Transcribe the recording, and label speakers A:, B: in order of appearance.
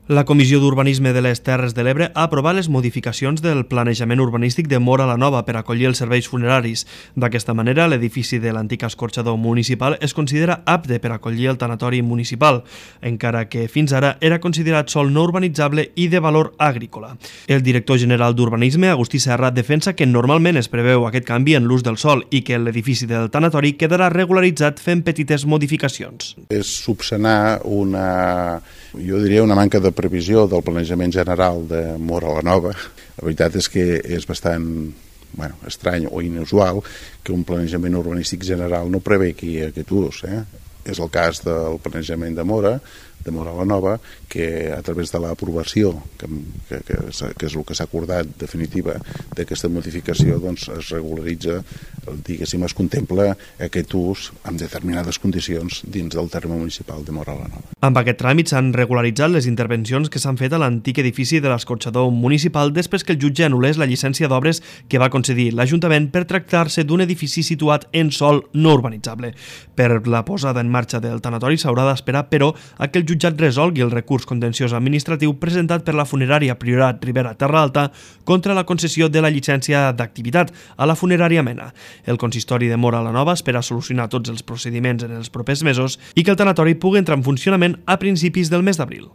A: La Comissió d'Urbanisme de les Terres de l'Ebre ha aprovat les modificacions del planejament urbanístic de Móra la Nova per acollir els serveis funeraris. D'aquesta manera, l'edifici de l'antic escorxador municipal es considera apte per acollir el tanatori municipal, encara que fins ara era considerat sòl no urbanitzable i de valor agrícola. El director general d'Urbanisme, Agustí Serra, defensa que normalment es preveu aquest canvi en l'ús del sòl i que l'edifici del tanatori quedarà regularitzat fent petites modificacions.
B: És subsanar una manca de previsió del planejament general de Móra la Nova. La veritat és que és bastant estrany o inusual que un planejament urbanístic general no prevegi aquest ús. És el cas del planejament de Móra la Nova, que a través de l'aprovació, que és el que s'ha acordat definitiva d'aquesta modificació, doncs es regularitza, diguéssim, es contempla aquest ús amb determinades condicions dins del terme municipal de Móra la Nova.
A: Amb aquest tràmit s'han regularitzat les intervencions que s'han fet a l'antic edifici de l'escorxador municipal després que el jutge anul·lés la llicència d'obres que va concedir l'Ajuntament per tractar-se d'un edifici situat en sòl no urbanitzable. Per la posada en marxa del tanatori s'haurà d'esperar, però, a que el jutjat resolgui el recurs contenciós administratiu presentat per la funerària Priorat Ribera Terra Alta contra la concessió de la llicència d'activitat a la funerària Mena. El consistori de Móra la Nova espera solucionar tots els procediments en els propers mesos i que el tanatori pugui entrar en funcionament a principis del mes d'abril.